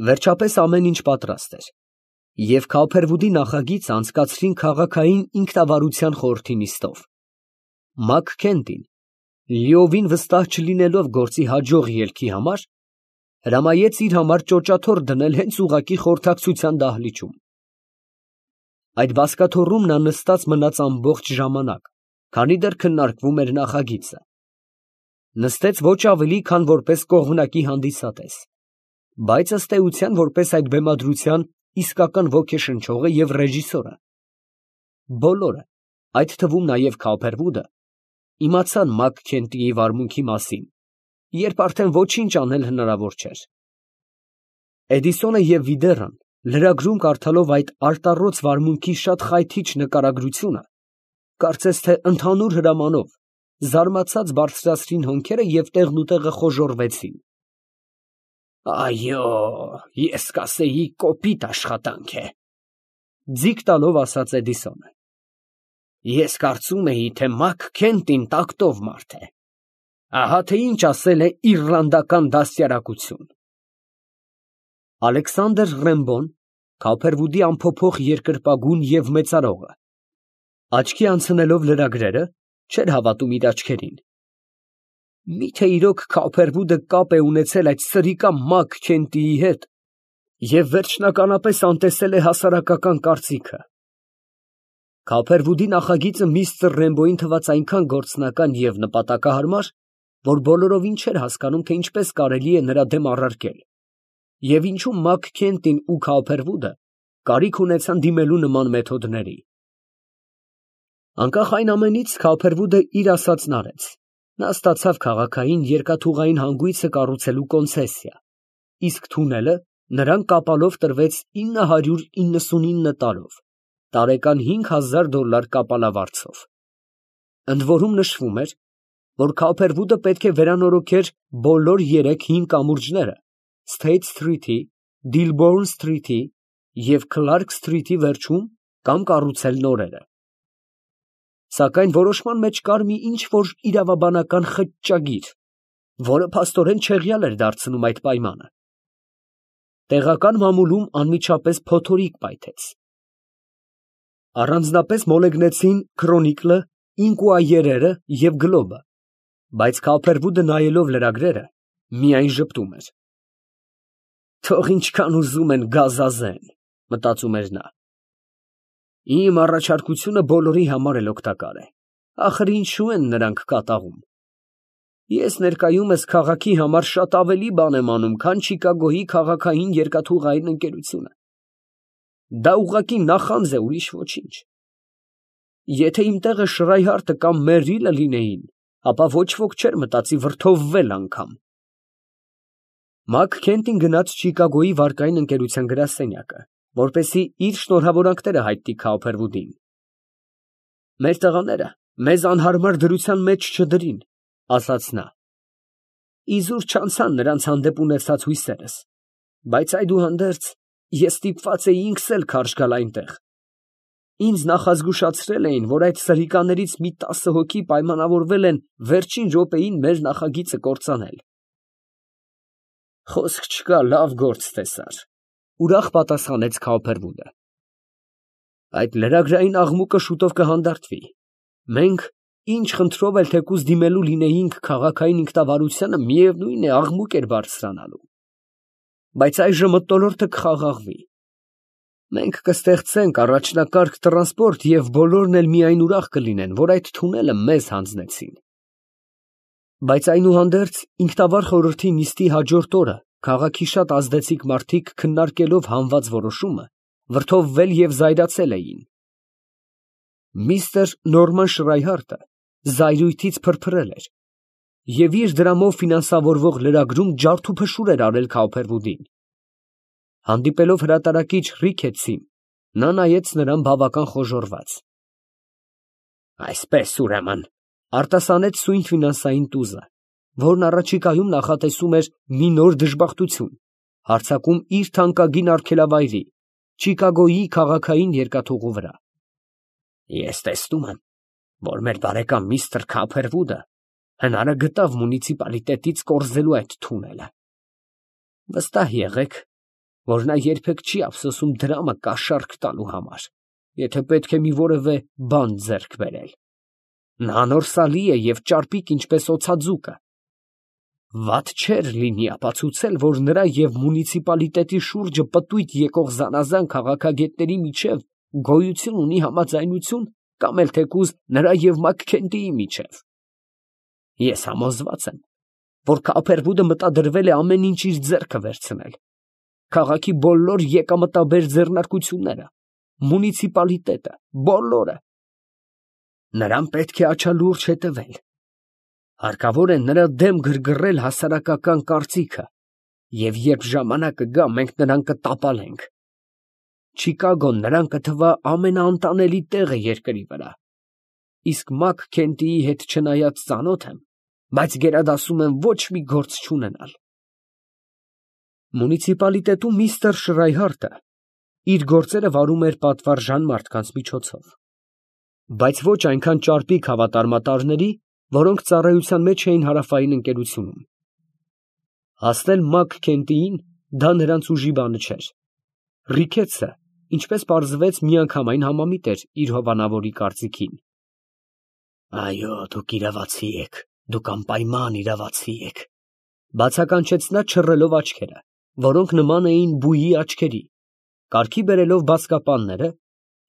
Վերջապես ամեն ինչ պատրաստ էր, և Քափերվուդի նախագիծը անցկացրին քաղաքային ինքնավարության խորհրդի նիստով։ Մաքքենթին, լիովին վստահ չլինելով գործի հաջող ելքի համար, հրամայեց իր համար ճոճաթոռ դնել հենց ուղղակի խորհրդակցության դահլիճում։ Այդ բազկաթոռում նա նստած մնաց ամբողջ ժամանակ, քանի դեռ քննարկվում էր նախագիծը։ Նստեց ոչ ավելի, քան որպես կողմնակի հանդիսատես, բայց ըստ էության որպես այդ բեմադրության իսկական ոգեշնչողը և ռեժիսորը։ Բոլորը, այդ թվում նաև Քափերվուդը, իմացան Մաքքենթիի վարմունքի մասին, երբ արդեն ոչինչ անել հնարավոր չէր։ Էդիսոնը և Վիդեռան, լրագրում կարդալով այդ արտառոց վարմունքի շատ խայթիչ նկարագրությունը, կարծես թե ընդհանուր հրամանով, զարմացած բարձրացրին հոնքերը և տեղնուտեղը խոժոռվեցին։ «Այո, ես կասեի կոպիտ աշխատանք է», ֊ ձիգ տալով ասաց Էդիսոնը։ «Ես կարծում էի, թե Մաքքենթին տակտով մարդ է։ Ահա թե ինչ ասել է իռլանդական դաստիարակություն»։ Ալեքսանդր Ռեմբոն, Քափերվուդի ամփոփող երկրպագուն և մեծարողը, աչքի անցնելով լրագրերը, չէր հավատում իր աչքերին։ Մի՞թե իրոք Քափերվուդը կապ է ունեցել այդ սրիկա Մաքքենթիի հետ և վերջնականապես անտեսել է հասարակական կարծիքը։ Քափերվուդի նախագիծը միստր Ռեմբոյին թվաց այնքան գործնական և նպատակահարմար, որ բոլորովին չէր հասկանում, թե ինչպես կարելի է նրա դեմ առարկել, և ինչու Մաքքենթին ու Քափերվուդը կարիք ունեցան դիմելու նման մեթոդների։ Անկախ այն ամենից, Քափերվուդը իր ասածն արեց. նա ստացավ քաղաքային երկաթուղային հանգույցը կառուցելու կոնցեսիա, իսկ թունելը նրան կապալով տրվեց 999 տարով, տարեկան $5000 կապալավարձով։ Ընդ որում նշվում էր, որ Քափերվուդը պետք է վերանորոգեր բոլոր 3 հին կամուրջները Սթեյթ Սթրիթի, Դիլբոուրն Սթրիթի և Քլարք Սթրիթի վերջում կամ կառուցել նորերը։ Սակայն որոշման մեջ կար մի ինչ֊որ իրավաբանական խճճագիր, որը փաստորեն չեղյալ էր դարձնում այդ պայմանը։ Տեղական մամուլում անմիջապես փոթորիկ պայթեց։ Առանձնապես մոլեգնեցին Քրոնիկլը, Ինկուայերերը և Գլոբը, բայց Քափերվուդը, նայելով լրագրերը, միայն ժպտում էր։ «Թող ինչքան ուզում են գազազեն», մտածում էր նա։ «Իմ առաջարկությունը բոլորի համար էլ օգտակար է, ախր ինչո՞ւ են նրանք կատաղում։ Ես ներկայումս քաղաքի համար շատ ավելի բան եմ անում, քան Չիկագոյի քաղաքային երկաթուղային ընկերությունը։ Դա ուղղակի նախանձ է, ուրիշ ոչինչ։ Եթե իմ տեղը Շրայհարտը կամ Մերրիլը լինեին, ապա ոչ ոք չէր մտածի վրդովվել անգամ»։ Մաքքենթին գնաց Չիկագոյի վարկային ընկերության գրասենյակը, որպեսզի իր շնորհավորանքները հայտնի Քափերվուդին։ «Մեր տղաները մեզ անհարմար դրության մեջ չդրին», ֊ ասաց նա։ «Իզուր չանցան նրանց հանդեպ ունեցած հույսերս, բայց այդուհանդերձ ես ստիպված էի ինքս էլ քարշ գալ այնտեղ։ Ինձ նախազգուշացրել էին, որ այդ սրիկաներից մի 10 հոգի պայմանավորվել են վերջին րոպեին մեր նախագիծը կործանել»։ «Խոսք չկա, լավ գործ տեսար», ֊ ուրախ պատասխանեց Քափերվուդը։ «Այդ լրագրային աղմուկը շուտով կհանդարտվի։ Մենք ինչ խնդրով էլ թեկուզ դիմելու լինեինք քաղաքային ինքնավարությանը, միևնույն է, աղմուկ էր բարձրանալու։ Բայց այժմ մթնոլորտը կխաղաղվի։ Մենք կստեղծենք առաջնակարգ տրանսպորտ և բոլորն էլ միայն ուրախ կլինեն, որ այդ թունելը մեզ հանձնեցին»։ Բայց այնուհանդերձ ինքնավար խորհրդի նիստի հաջորդ օրը քաղաքի շատ ազդեցիկ մարդիկ, քննարկելով հանված որոշումը, վրդովվել և զայրացել էին։ Միստր Նորման Շրայհարտը զայրույթից փրփրել էր և իր դրամով ֆինանսավորվող լրագրում ջարդուփշուր էր արել Քափերվուդին։ Հանդիպելով հրատարակիչ Ռիքեթսին, նա նայեց նրան բավական խոժոռված։ «Այսպես, ուրեմն, ֊ արտասանեց սույն ֆինանսային տուզը, որն առաջիկայում նախատեսում էր մի նոր դժբախտություն հարձակում իր թանկագին արգելավայրի՝ Չիկագոյի քաղաքային երկաթուղու վրա, ֊ ես տեսնում եմ, որ մեր բարեկամ միստր Քափերվուդը հնարը գտավ մունիցիպալիտետից կորզելու այդ թունելը։ Վստահ եղեք, որ նա երբեք չի ափսոսում դրամը կաշառք տալու համար, եթե պետք է մի որևէ բան ձեռք բերել։ Նա անորսալի է և ճարպիկ ինչպես օձաձուկը։ Վատ չէր լինի ապացուցել, որ նրա և մունիցիպալիտետի շուրջը պտույտ եկող զանազան քաղաքագետների միջև գոյություն ունի համաձայնություն, կամ էլ թեկուզ նրա և Մաքքենթիի միջև։ Ես համոզված եմ, որ Կոոփերվուդը մտադրվել է ամեն ինչ իր ձեռքը վերցնել, քաղաքի բոլոր եկամտաբեր ձեռնարկությունները, մունիցիպալիտետը, բոլորը։ Նրան պետք է աչալուրջ հետևել։ Հարկավոր է նրա դեմ գրգռել հասարակական կարծիքը, և երբ ժամանակը գա, մենք նրան կտապալենք։ Չիկագոն նրան կթվա ամենաանտանելի տեղը երկրի վրա, իսկ Մաքքենթիի հետ չնայած ծանոթ եմ, բայց գերադասում եմ ոչ մի գործ չունենալ։ Մունիցիպալիտետում միստր Շրայհարտը իր գործերը վարում էր պատվարժան մարդկանց միջոցով, բայց ոչ այնքան ճարպիկ հավատարմատարների, որոնք ծառայության մեջ էին հարավային ընկերությունում։ Հասնել Մաքքենթիին դա նրանց ուժի բանը չէր։ Ռիքեթսը, ինչպես պարզվեց, միանգամայն համամիտ էր իր հովանավորի կարծիքին։ Այո, դուք իրավացի եք, դուք անպայման իրավացի եք, բացականչեց նա չռելով աչքերը, որոնք նման էին բույի աչքերի, կարգի բերելով բազկապանները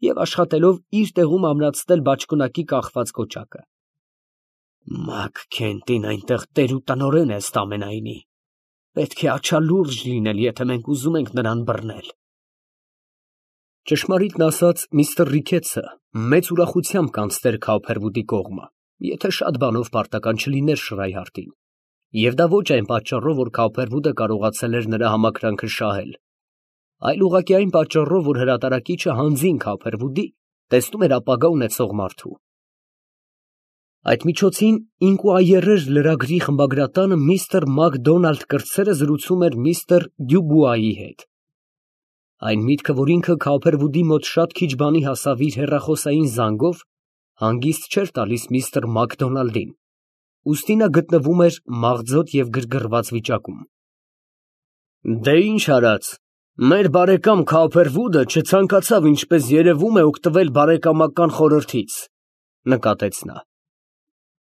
և աշխատելով իր տեղում ամրացնել բաճկոնակի կախված կոճակը։ Մաքքենթին այնտեղ տեր ու տնօրեն է ըստ ամենայնի, պետք է աչալուրջ լինել, եթե մենք ուզում ենք նրան բռնել։ Ճշմարիտն ասած, միստր Ռիքեթսը մեծ ուրախությամբ կանցներ Կոոփերվուդի կողմը, եթե շատ բանով պարտական չլիներ Շրայհարտին, և դա ոչ այն պատճառով, որ Կոոփերվուդը կարողացել էր նրա համակրանքը շահել, այլ ուղղակի այն պատճառով, որ հրատարակիչը հանձին Կոոփերվուդի տեսնում էր ապագա ունեցող մարդու։ Այդ միջոցին Ինկուայերեր լրագրի խմբագրատանը միստր Մակդոնալդ կրտսերը զրուցում էր միստր Դյուբուայի հետ։ Այն միտքը, որ ինքը Կոոփերվուդի մոտ շատ քիչ բանի հասավ իր հեռախոսային զանգով, հանգիստ չէր տալիս միստր Մակդոնալդին, ուստի նա գտնվում էր մաղձոտ և գրգռված վիճակում։ Դե ինչ արած, մեր բարեկամ Կոոփերվուդը չցանկացավ, ինչպես երևում է, օգտվել բարեկամական խորհրդից, նկատեց նա։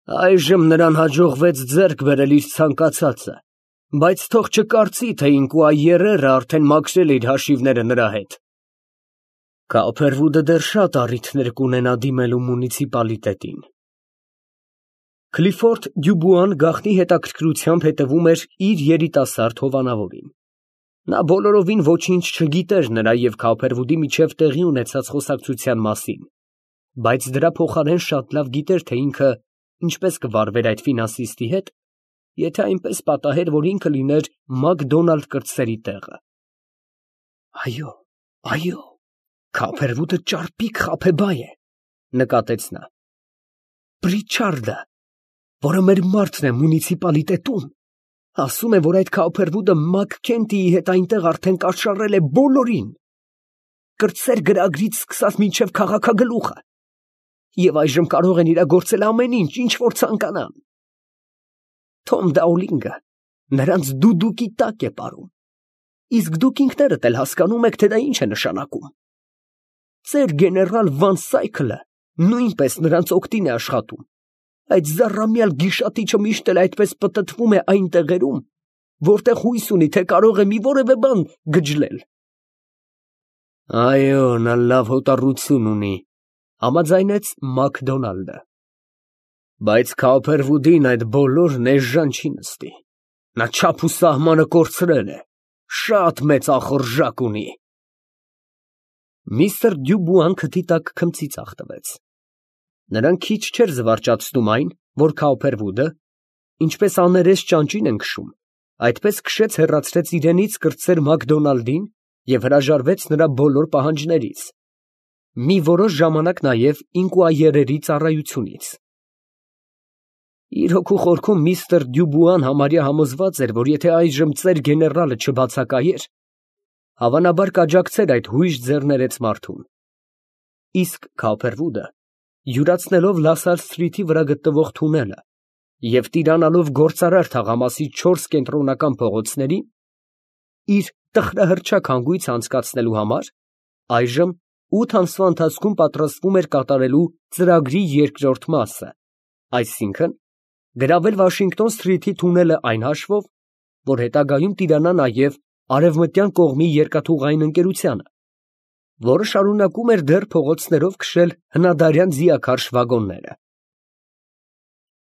Այժմ նրան հաջողվեց ձեռք բերել իր ցանկացածը, բայց թող չկարծի, թե Ինկուայերերը արդեն մաքրել է իր հաշիվները նրա հետ։ Կոոփերվուդը դեռ շատ առիթներ կունենա դիմելու մունիցիպալիտետին։ Քլիֆորդ Դյուբուան գաղտնի հետաքրքրությամբ հետևում էր իր երիտասարդ հովանավորին։ Նա բոլորովին ոչինչ չգիտեր նրա և Կոոփերվուդի միջև տեղի ունեցած խոսակցության մասին, բայց դրա փոխարեն շատ լավ գիտեր, թե ինքը ինչպես կվարվեր այդ ֆինանսիստի հետ, եթե այնպես պատահեր, որ ինքը լիներ Մակդոնալդ կրտսերի տեղը։ Այո, Կոոփերվուդը ճարպիկ խաբեբայ է, նկատեց նա։ Պրիչարդը, որը մեր մարդն է մունիցիպալիտետում, ասում է, որ այդ Կոոփերվուդը Մաքքենթիի հետ այնտեղ արդեն կաշառել է բոլորին, կրտսեր գրագրից սկսած մինչև քաղաքագլուխը, և այժմ կարող են իրագործել ամեն ինչ, ինչ որ ցանկանան։ Թոմ Դաուլինգը նրանց դուդուկի տակ է ապարում, իսկ դուք ինքներդ էլ հասկանում եք, թե դա ինչ է նշանակում։ Ձեր գեներալ Վան Սայքլը նույնպես նրանց օգտին է աշխատում, այդ զառամյալ գիշատիչը միշտ էլ այդպես պտտվում է այն տեղերում, որտեղ հույս ունի, թե կարող է մի որևէ բան գջլել։ Այո, նա լավ հոտառություն ունի, համաձայնեց Մակդոնալդը։ Բայց Կոոփերվուդին այդ բոլորն էժան չի նստի։ Նա չափ ու սահմանը կորցրել է, շատ մեծ ախորժակ ունի։ Միստր Դյուբուան քթի տակ քմծիծաղ տվեց։ Նրան քիչ չէր զվարճացնում այն, որ Կոոփերվուդը, ինչպես աներես ճանճին են քշում, այդպես քշեց հեռացրեց իրենից կրտսեր Մակդոնալդին և հրաժարվեց նրա բոլոր պահանջներից, մի որոշ ժամանակ նաև Ինկուայերերի ծառայությունից։ Իր հոգու խորքում միստր Դյուբուան համարյա համոզված էր, որ եթե այժմ ծեր գեներալը չբացակայեր, հավանաբար կաջակցեր այդ հույժ ձեռներեց մարդուն։ Իսկ Կոոփերվուդը, յուրացնելով Լասար Սթրիթի վրա գտնվող թունելը և տիրանալով գործարար թաղամասի 4 կենտրոնական փողոցներին, իր տխրահռչակ հանգույց անցկացնելու համար այժմ 8 ամսվա ընթացքում պատրաստվում էր կատարելու ծրագրի երկրորդ մասը, այսինքն գրավել Վաշինգտոն Սթրիթի թունելը այն հաշվով, որ հետագայում տիրանա նաև արևմտյան կողմի երկաթուղային ընկերությանը, որը շարունակում էր դեռ փողոցներով քշել հնադարյան ձիաքարշ վագոնները։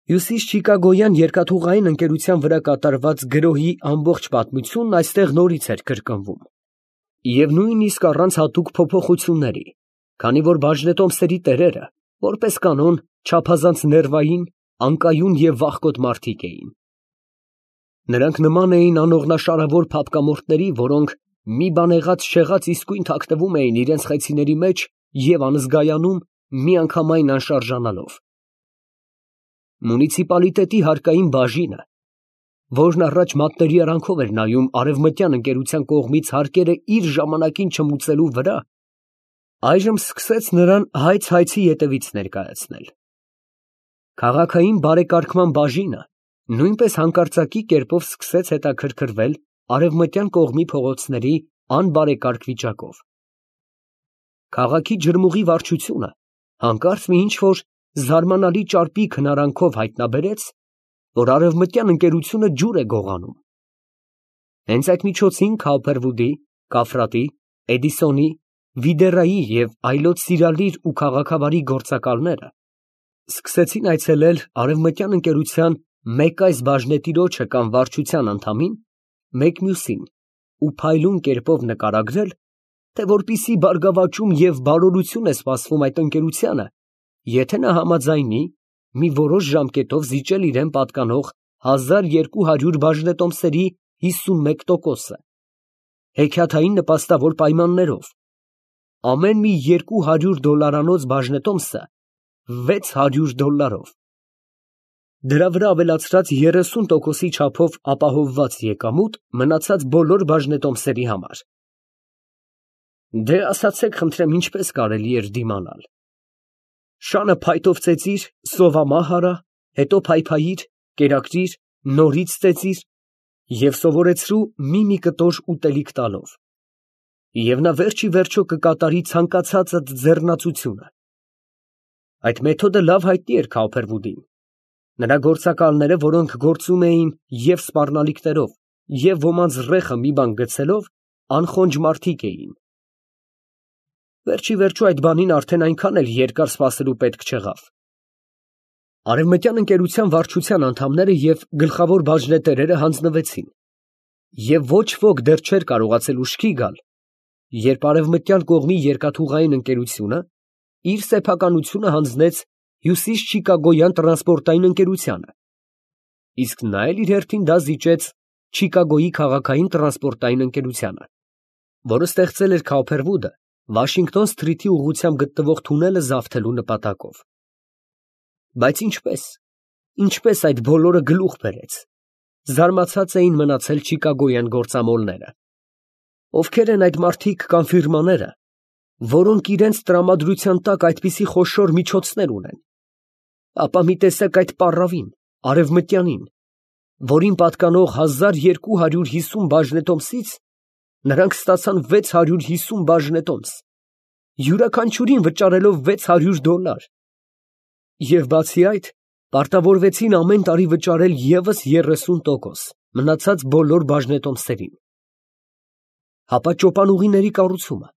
Հյուսիսչիկագոյան երկաթուղային ընկերության վրա կատարված գրոհի ամբողջ պատմությունն այստեղ նորից էր կրկնվում, և նույնիսկ առանց հատուկ փոփոխությունների, քանի որ բաժնետոմսերի տերերը, որպես կանոն, չափազանց ներվային, անկայուն և վախկոտ մարդիկ էին։ Նրանք նման էին անողնաշարավոր փափկամորթների, որոնք մի բան եղած իսկույն թաքնվում էին իրենց խեցիների մեջ և անզգայանում, միանգամայն անշարժանալով։ Մունիցիպալիտետի հարկային բաժինը, որն առաջ մատների արանքով էր նայում արևմտյան ընկերության կողմից հարկերը իր ժամանակին չմուծելու վրա, այժմ սկսեց նրան հայց֊հայցի ետևից ներկայացնել։ Քաղաքային բարեկարգման բաժինը նույնպես հանկարծակի կերպով սկսեց հետաքրքրվել արևմտյան կողմի փողոցների անբարեկարգ վիճակով։ Քաղաքի ջրմուղի վարչությունը հանկարծ մի ինչ֊որ զարմանալի ճարպիկ հնարանքով հայտնաբերեց, որ արևմտյան ընկերությունը ջուր է գողանում։ Հենց այդ միջոցին Քոուփերվուդի, Կաֆրատի, Էդիսոնի, Վիդերայի և այլոց սիրալիր ու քաղաքավարի գործակալները սկսեցին այցելել արևմտյան ընկերության մեկ այս բաժնետիրոջը կամ վարչության անդամին, մեկ մյուսին ու փայլուն կերպով նկարագրել, թե որպիսի բարգավաճում և բարօրություն է սպասվում այդ ընկերությանը, եթե նա համաձայնի մի որոշ ժամկետով զիջել իրան պատկանող 1200 բաժնետոմսերի 51%-ը, հեքիաթային նպաստավոր պայմաններով, ամեն մի $200 բաժնետոմսը $600, դրա վրա ավելացրած 30%-ի չափով ապահովված եկամուտ մնացած բոլոր բաժնետոմսերի համար։ Դե ասացեք խնդրեմ, ինչպես կարելի էր դիմանալ։ Շանը փայտով ծեծիր, սովամահ արա, հետո փայփայիր, կերակրիր, նորից ծեծիր և սովորեցրու մի կտոր ուտելիք տալով, և նա վերջ ի վերջո կկատարի ցանկացածդ ձեռնածությունը։ Այդ մեթոդը լավ հայտնի էր Քոուփերվուդին։ Նրա գործակալները, որոնք գործում էին և սպառնալիքներով, և ոմանց ռեխը մի բան գցելով, անխոնջ մարդիկ էին։ Վերջ ի վերջո այդ բանին արդեն այնքան էլ երկար սպասելու պետք չեղավ։ Արևմտյան ընկերության վարչության անդամները և գլխավոր բաժնետերերը հանձնվեցին, և ոչ ոք դեռ չէր կարողացել ուշքի գալ, երբ արևմտյան կողմի երկաթուղային ընկերությունը իր սեփականությունը հանձնեց Հյուսիսչիկագոյան տրանսպորտային ընկերությանը, իսկ նա էլ իր հերթին դա զիջեց Չիկագոյի քաղաքային տրանսպորտային ընկերությանը, որը ստեղծել էր Քոուփերվուդը Վաշինգտոն Սթրիթի ուղղությամբ գտնվող թունելը զավթելու նպատակով։ Բայց ինչպես այդ բոլորը գլուխ բերեց, զարմացած էին մնացել չիկագոյան գործամոլները։ Ովքեր են այդ մարդիկ կամ ֆիրմաները, որոնք իրենց տրամադրության տակ այդպիսի խոշոր միջոցներ ունեն, ապա մի տեսեք այդ պառավին, արևմտյանին, որին պատկանող 1250 բաժնետոմսից նրանք ստացան 650 բաժնետոմս, յուրաքանչյուրին վճարելով $600, և բացի այդ, պարտավորվեցին ամեն տարի վճարել ևս 30% մնացած բոլոր բաժնետոմսերին։ Հապա ճոպանուղիների կառուցումը,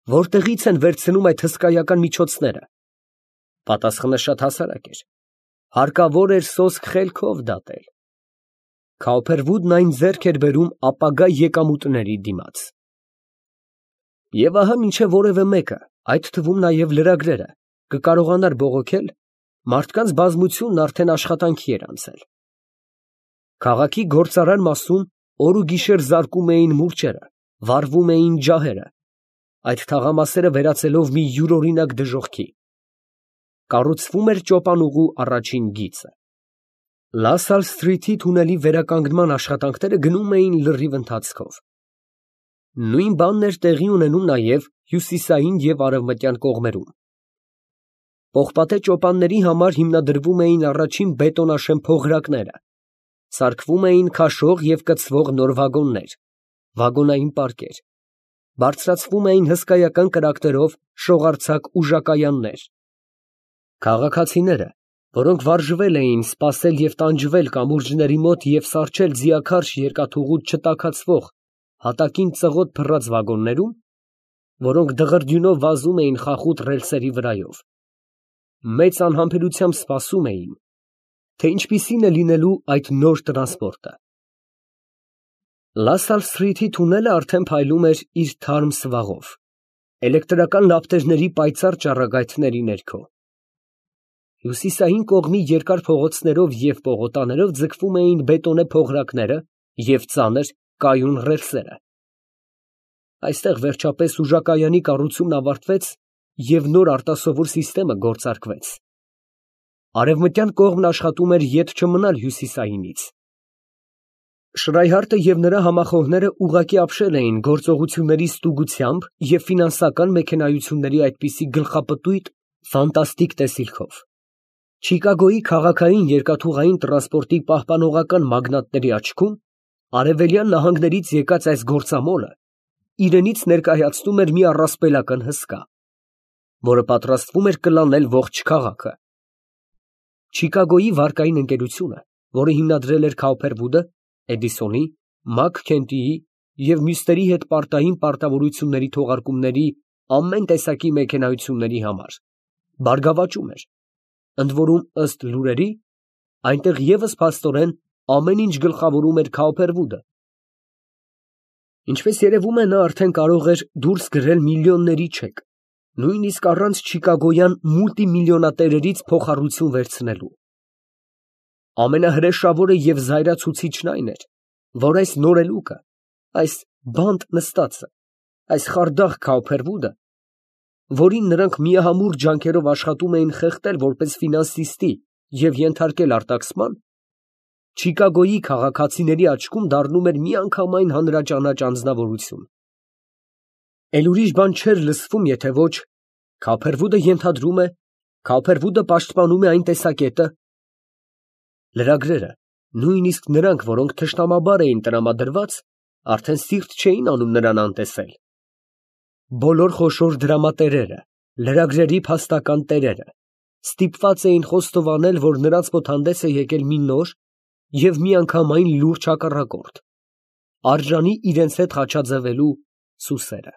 որտեղի՞ց են վերցնում այդ հսկայական միջոցները։ Պատասխանը շատ հասարակ էր. հարկավոր էր սոսկ խելքով դատել։ Քոուփերվուդն այն ձեռք էր բերում ապագա եկամուտների դիմաց։ Եվ ահա մինչև որևէ մեկը, այդ թվում նաև լրագրերը, կկարողանար բողոքել, մարդկանց բազմությունն արդեն աշխատանքի էր անցել։ Քաղաքի գործարար մասում օր ու գիշեր զարկում էին մուրճերը, վառվում էին ջահերը, այդ թաղամասերը վերածելով մի յուրօրինակ դժոխքի։ Կառուցվում էր ճոպանուղու առաջին գիծը։ Լասալ Սթրիթի թունելի վերականգնման աշխատանքները գնում էին լրիվ ընթացքով։ Նույն բանն էր տեղի ունենում նաև հյուսիսային և արևմտյան կողմերում։ Պողպատե ճոպանների համար հիմնադրվում էին առաջին բետոնաշեն փողրակները, սարքվում էին քաշող և կցվող նոր վագոններ, վագոնային պարկեր, բարձրացվում էին հսկայական կրակներով շողարձակ ուժակայաններ։ Քաղաքացիները, որոնք վարժվել էին սպասել և տանջվել կամուրջների մոտ և սառչել ձիաքարշ երկաթուղուց չտաքացվող հատակին ծղոտ փռած վագոններում, որոնք դղրդյունով վազում էին խախուտ ռելսերի վրայով, մեծ անհամբերությամբ սպասում էին, թե ինչպիսին է լինելու այդ նոր տրանսպորտը։ Լա Սալսթրիթի թունելը արդեն փայլում էր իր թարմ սվաղով, էլեկտրական լապտերների պայծառ ճառագայթների ներքո։ Հյուսիսային կողմի երկար փողոցներով և պողոտաներով ձգվում էին բետոնե փողրակները և ծանր կայուն ռելսերը։ Այստեղ վերջապես ուժակայանի կառուցումն ավարտվեց և նոր արտասովոր սիստեմը գործարկվեց։ Արևմտյան կողմն աշխատում էր ետ չմնալ հյուսիսայինից։ Շրայհարտը և նրա համախոհները ուղղակի ապշել էին գործողությունների ստուգությամբ և ֆինանսական մեքենայությունների այդպիսի գլխապտույտ, ֆանտաստիկ տեսիլքով։ Չիկագոյի քաղաքային երկաթուղային տրանսպորտի պահպանողական մագնատների աչքում արևելյան նահանգներից եկած այս գործամոլը իրենից ներկայացնում էր մի առասպելական հսկա, որը պատրաստվում էր կլանել ողջ քաղաքը։ Չիկագոյի վարկային ընկերությունը, որը հիմնադրել էր Քաուփերվուդը, Էդիսոնի, Մաքքենթիի և մյուսների հետ պարտային պարտավորությունների թողարկումների ամեն տեսակի մեքենայությունների համար, բարգավաճում էր, ընդ որում, ըստ լուրերի, այնտեղ ևս փաստորեն ամեն ինչ գլխավորում էր Քաուփերվուդը։ Ինչպես երևում է, նա արդեն կարող էր դուրս գրել միլիոնների չեք, նույնիսկ առանց չիկագոյան մուլտիմիլիոնատերերից փոխառություն վերցնելու։ Ամենահրեշավորը և զայրացուցիչն այն էր, որ այս նորելուկը, այս բանտ նստածը, այս խարդախ Քաուփերվուդը, որին նրանք միամուռ ջանքերով աշխատում էին խեղդել որպես ֆինանսիստի և ենթարկել արտաքսման, Չիկագոյի քաղաքացիների աչքում դառնում էր միանգամայն հանրաճանաչ անձնավորություն։ Էլ ուրիշ բան չէր լսվում, եթե ոչ. Քաուփերվուդը ենթադրում է, Քաուփերվուդը պաշտպանում է այն տեսակետը։ Լրագրերը, նույնիսկ նրանք, որոնք թշնամաբար էին տրամադրված, արդեն սիրտ չէին անում նրան անտեսել։ Բոլոր խոշոր դրամատերերը, լրագրերի փաստական տերերը ստիպված էին խոստովանել, որ նրանց մոտ հանդես է եկել մի նոր և միանգամայն լուրջ հակառակորդ, արժանի իրենց հետ խաչաձևելու սուսերը։